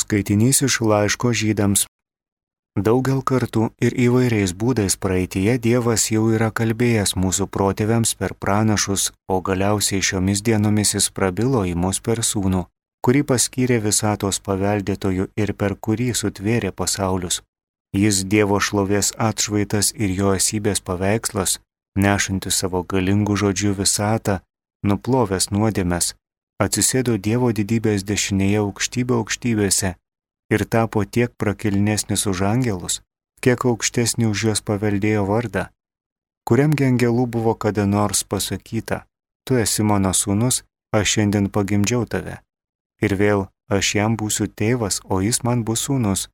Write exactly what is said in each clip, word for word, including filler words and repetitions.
Skaitinys iš laiško Žydams. Daugel kartų ir įvairiais būdais praeityje Dievas jau yra kalbėjęs mūsų protėviams per pranašus, o galiausiai šiomis dienomis jis prabilo į mus per sūnų, kurį paskyrė visatos paveldėtojų ir per kurį sutvėrė pasaulius. Jis Dievo šlovės atšvaitas ir jo esybės paveikslas, nešantis savo galingų žodžių visatą, nuplovęs nuodėmes, atsisėdo Dievo didybės dešinėje aukštybė aukštybėse ir tapo tiek prakilnesnis už angelus, kiek aukštesnį už juos paveldėjo vardą. Kuriamgi angelų buvo kada nors pasakyta, tu esi mano sūnus, aš šiandien pagimdžiau tave. Ir vėl, aš jam būsiu tėvas, o jis man bus sūnus.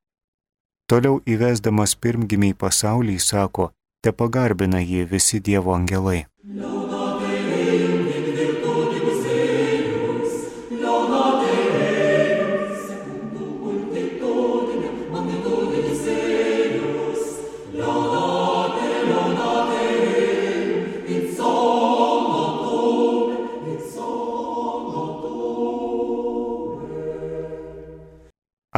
Toliau įvesdamas pirmgimį į pasaulį, sako, te pagarbina jį visi Dievo angelai.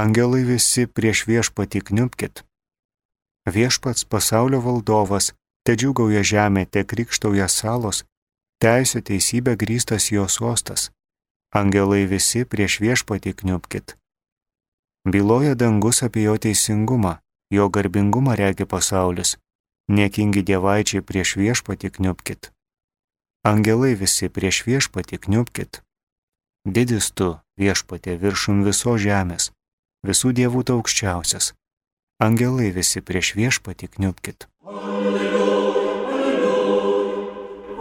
Angelai visi prieš viešpatį kniubkit. Viešpats pasaulio valdovas, te džiūgauja žemė, te krikštauja salos, teisė teisybė grįstas jo sostas. Angelai visi prieš viešpatį kniubkit. Byloja dangus apie jo teisingumą, jo garbingumą regi pasaulis. Niekingi dievaičiai prieš viešpatį kniubkit. Angelai visi prieš viešpatį kniubkit. Didis tu, viešpatė, viršum viso žemės, visų dievų tu aukščiausias. Angelai visi prieš viešpatį kniubkit. Alleluja, alleluja,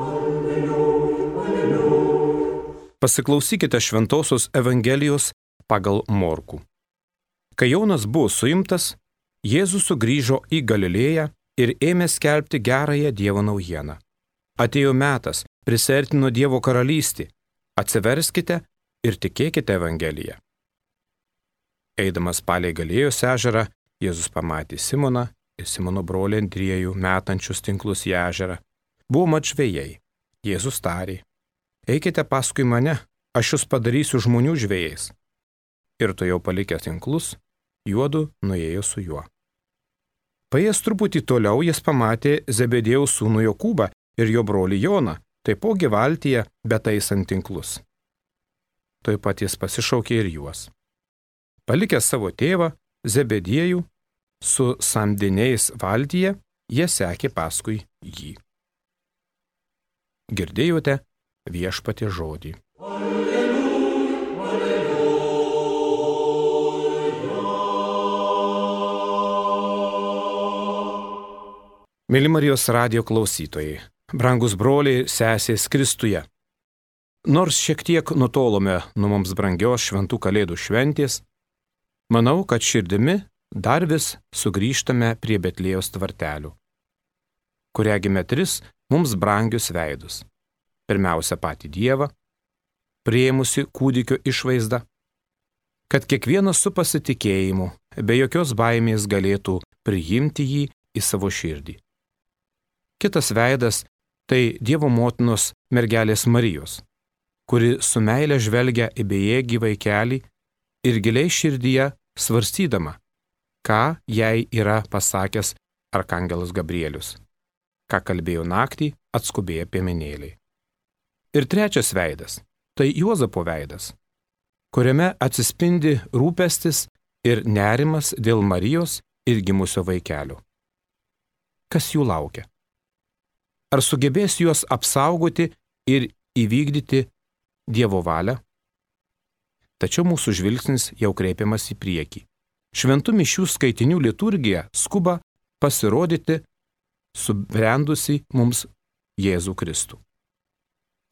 alleluja, alleluja. Pasiklausykite Šventosios Evangelijos pagal Morkų. Kai Jonas buvo suimtas, Jėzus sugrįžo į Galilėją ir ėmė skelbti gerąją Dievo naujieną. Atėjo metas, prisiartino Dievo karalystė. Atsiverskite ir tikėkite Evangeliją. Eidamas palei Galilėjos ežerą, Jėzus pamatė Simoną ir Simono brolį Andriejų metančius tinklus į ežerą. Buvo mat žvejai. Jėzus tarė, eikite paskui mane, aš jūs padarysiu žmonių žvejais. Ir to jau palikęs tinklus, juodu nuėjo su juo. Paėjęs truputį toliau jis pamatė Zebedėjaus sūnų Jokūbą ir jo brolį Joną, taipogi valtyje betaisant tinklus. Tuoj pat jis pasišaukė ir juos. Palikęs savo tėvą, Zebedėjų, su samdiniais valtyje, jie sekė paskui jį. Girdėjote viešpaties žodį. Alleluja, alleluja. Mėly Marijos radijo klausytojai, brangus broliai, sesės Kristuje. Nors šiek tiek nutolome nuo mums brangios šventų kalėdų šventės, manau, kad širdimi dar vis sugrįžtame prie Betlėjos tvartelių, kur regime tris mums brangius veidus. Pirmiausia patį Dievą, priėmusi kūdikio išvaizdą, kad kiekvienas su pasitikėjimu, be jokios baimės galėtų priimti jį į savo širdį. Kitas veidas tai Dievo motinos mergelės Marijos, kuri su meile žvelgia į bejėgį vaikelį ir giliai širdyje svarstydama, ką jai yra pasakęs arkangelas Gabrielius, ką kalbėjo naktį atskubėję piemenėliai. Ir trečias veidas – tai Juozapo veidas, kuriame atsispindi rūpestis ir nerimas dėl Marijos ir gimusio vaikelio. Kas jų laukia? Ar sugebės juos apsaugoti ir įvykdyti Dievo valią? Tačiau mūsų žvilgsnis jau kreipiamas į priekį. Šventų mišių skaitinių liturgija skuba pasirodyti subrendusi mums Jėzų Kristų,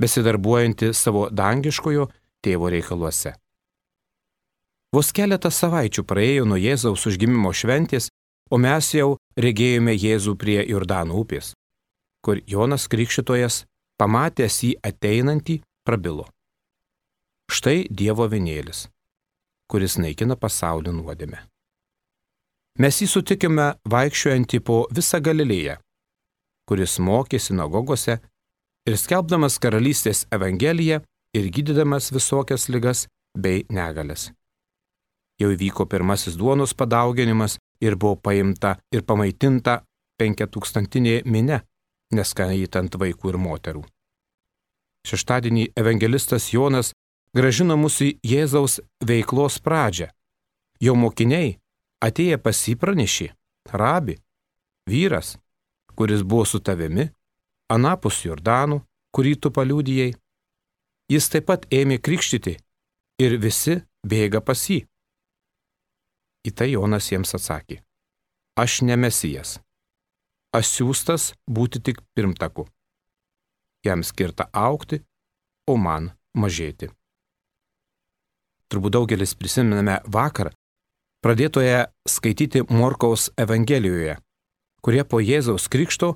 besidarbuojantį savo dangiškojo tėvo reikaluose. Vos keletą savaičių praėjo nuo Jėzaus užgimimo šventės, o mes jau regėjome Jėzų prie Jordano upės, kur Jonas Krikštytojas, pamatęs jį ateinantį, prabilo. Štai Dievo avinėlis, kuris naikina pasaulio nuodėmę. Mes jį sutikime vaikščiojantį po visą Galilėją, kuris mokė sinagogose ir skelbdamas karalystės evangeliją ir gydydamas visokias ligas bei negalias. jau įvyko pirmasis duonos padauginimas ir buvo paimta ir pamaitinta penkiatūkstantinė minia, neskaitant vaikų ir moterų. Šeštadienį evangelistas Jonas grąžino mus į Jėzaus veiklos pradžią. Jo mokiniai atėję pas jį pranešė: Rabi, vyras, kuris buvo su tavimi, anapus Jordanų, kurį tu paliudijai. Jis taip pat ėmė krikštyti ir visi bėga pas jį. Į tai Jonas jiems atsakė: Aš ne Mesijas, aš siųstas būti tik pirmtaku. Jam skirta augti, o man mažėti. Turbūt daugelis prisimename vakar pradėtoje skaityti Morkaus Evangelijoje, kurie po Jėzaus krikšto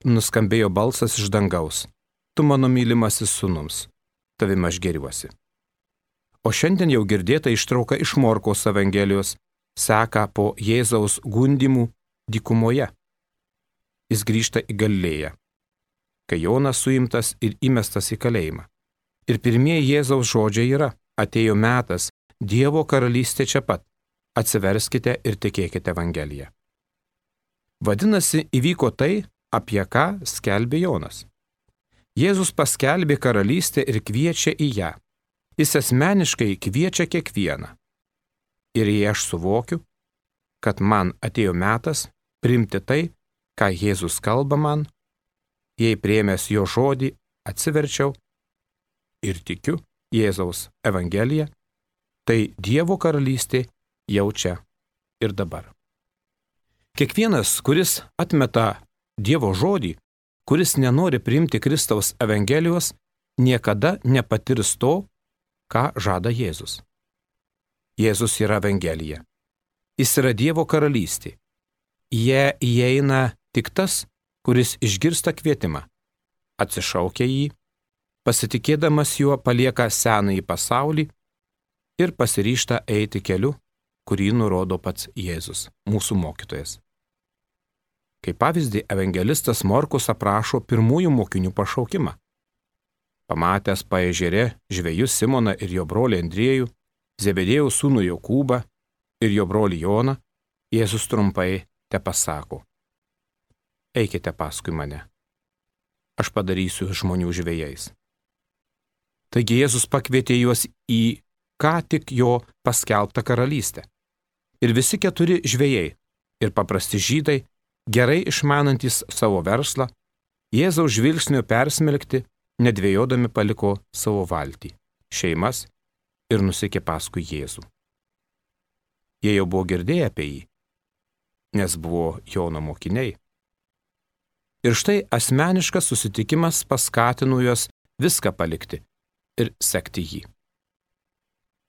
nuskambėjo balsas iš dangaus: Tu mano mylimasis sūnus, tavim aš gėriuosi. O šiandien jau girdėta ištrauka iš Morkaus Evangelijos seka po Jėzaus gundymų dykumoje. Jis grįžta į Galilėją, kai Jonas suimtas ir įmestas į kalėjimą. Ir pirmieji Jėzaus žodžiai yra: Atėjo metas, Dievo karalystė čia pat, atsiverskite ir tikėkite Evangeliją. Vadinasi, įvyko tai, apie ką skelbė Jonas. Jėzus paskelbė karalystę ir kviečia į ją. Jis asmeniškai kviečia kiekvieną. Ir jei aš suvokiu, kad man atėjo metas priimti tai, ką Jėzus kalba man, jei priėmęs jo žodį atsiverčiau ir tikiu Jėzaus Evangeliją, tai Dievo karalystė jau čia ir dabar. Kiekvienas, kuris atmeta Dievo žodį, kuris nenori priimti Kristaus Evangelijos, niekada nepatirs to, ką žada Jėzus. Jėzus yra Evangelija. Jis yra Dievo karalystė. Jie įeina tik tas, kuris išgirsta kvietimą, atsišaukia jį, pasitikėdamas juo palieka senąjį pasaulį ir pasiryžta eiti keliu, kurį nurodo pats Jėzus, mūsų mokytojas. Kaip pavyzdį, evangelistas Morkus aprašo pirmųjų mokinių pašaukimą. Pamatęs paežere žvejus Simoną ir jo brolį Andriejų, Zebedėjaus sūnų Jokūbą ir jo brolį Joną, Jėzus trumpai tepasako: Eikite paskui mane, aš padarysiu žmonių žvejais. Taigi Jėzus pakvietė juos į ką tik jo paskelbtą karalystę. Ir visi keturi žvejai ir paprasti žydai, gerai išmanantys savo verslą, Jėzaus žvilgsnio persmelkti, nedvejodami paliko savo valtį, šeimas ir nusekė paskui Jėzų. Jie jau buvo girdėję apie jį, nes buvo Jono mokiniai. Ir štai asmeniškas susitikimas paskatino juos viską palikti ir sekti jį.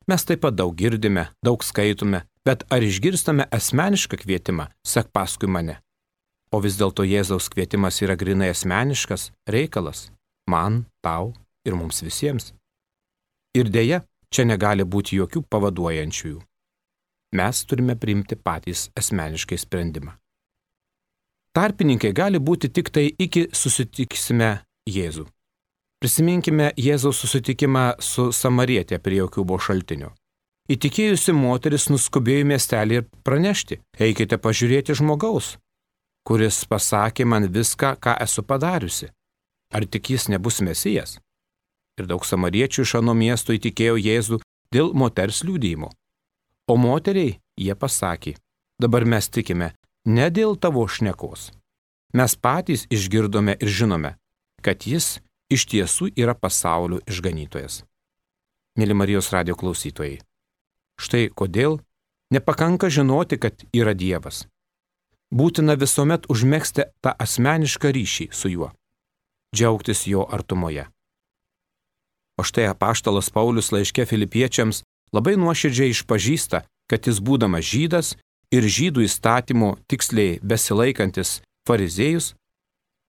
Mes taip pat daug girdime, daug skaitome, bet ar išgirstame asmenišką kvietimą: sek paskui mane? O vis dėlto Jėzaus kvietimas yra grinai asmeniškas reikalas – man, tau ir mums visiems. Ir dėja, čia negali būti jokių pavaduojančiųjų. Mes turime priimti patys asmeniškai sprendimą. Tarpininkai gali būti tik tai iki susitiksime Jėzų. Prisiminkime Jėzaus susitikimą su samarietė prie Jokūbo šaltinio. Įtikėjusi moteris nuskubėjo į miestelį ir pranešti: eikite pažiūrėti žmogaus, kuris pasakė man viską, ką esu padariusi. Ar tik jis nebus Mesijas? Ir daug samariečių iš ano miesto įtikėjo Jėzų dėl moters liudijimo. O moteriai jie pasakė: dabar mes tikime ne dėl tavo šnekos. Mes patys išgirdome ir žinome, kad jis iš tiesų yra pasaulio išganytojas. Mėly Marijos radijo klausytojai, štai kodėl nepakanka žinoti, kad yra Dievas. Būtina visuomet užmegzti tą asmenišką ryšį su juo, džiaugtis jo artumoje. O štai apaštalas Paulius laiške Filipiečiams labai nuoširdžiai išpažįsta, kad jis būdamas žydas ir žydų įstatymo tiksliai besilaikantis fariziejus,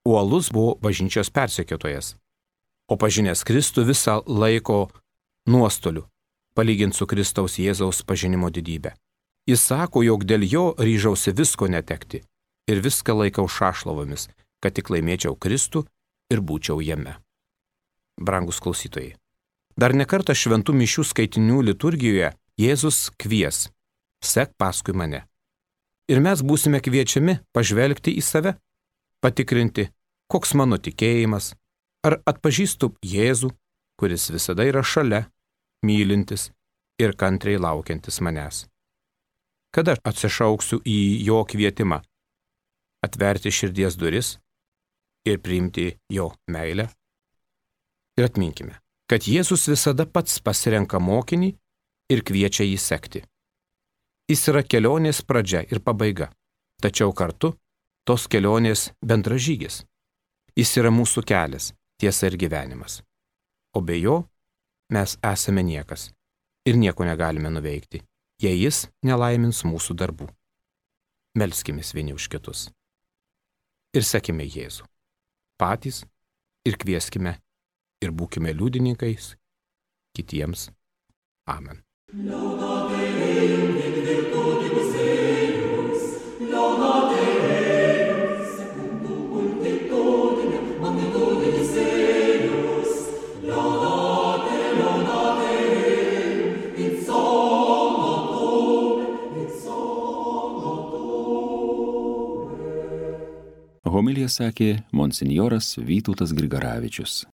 uolus buvo bažnyčios persekiotojas, o pažinęs Kristų visą laiko nuostoliu, palyginti su Kristaus Jėzaus pažinimo didybę. Jis sako, jog dėl jo ryžausi visko netekti ir viską laikau šašlovomis, kad tik laimėčiau Kristų ir būčiau jame. Brangus klausytojai, dar nekartą šventų mišių skaitinių liturgijoje Jėzus kvies: sek paskui mane. Ir mes būsime kviečiami pažvelgti į save, patikrinti, koks mano tikėjimas, ar atpažįstu Jėzų, kuris visada yra šalia, mylintis ir kantriai laukiantis manęs. Kada atsišauksiu į jo kvietimą, atverti širdies duris ir priimti jo meilę? Ir atminkime, kad Jėzus visada pats pasirenka mokinį ir kviečia jį sekti. Jis yra kelionės pradžia ir pabaiga, tačiau kartu tos kelionės bendražygis. Jis yra mūsų kelias, tiesa ir gyvenimas. O be jo mes esame niekas ir nieko negalime nuveikti, jei jis nelaimins mūsų darbų. Melskimės vieni už kitus. Ir sekime Jėzų. Patys ir kvieskime ir būkime liudininkais kitiems. Amen. Homiliją sakė monsinjoras Vytautas Grigaravičius.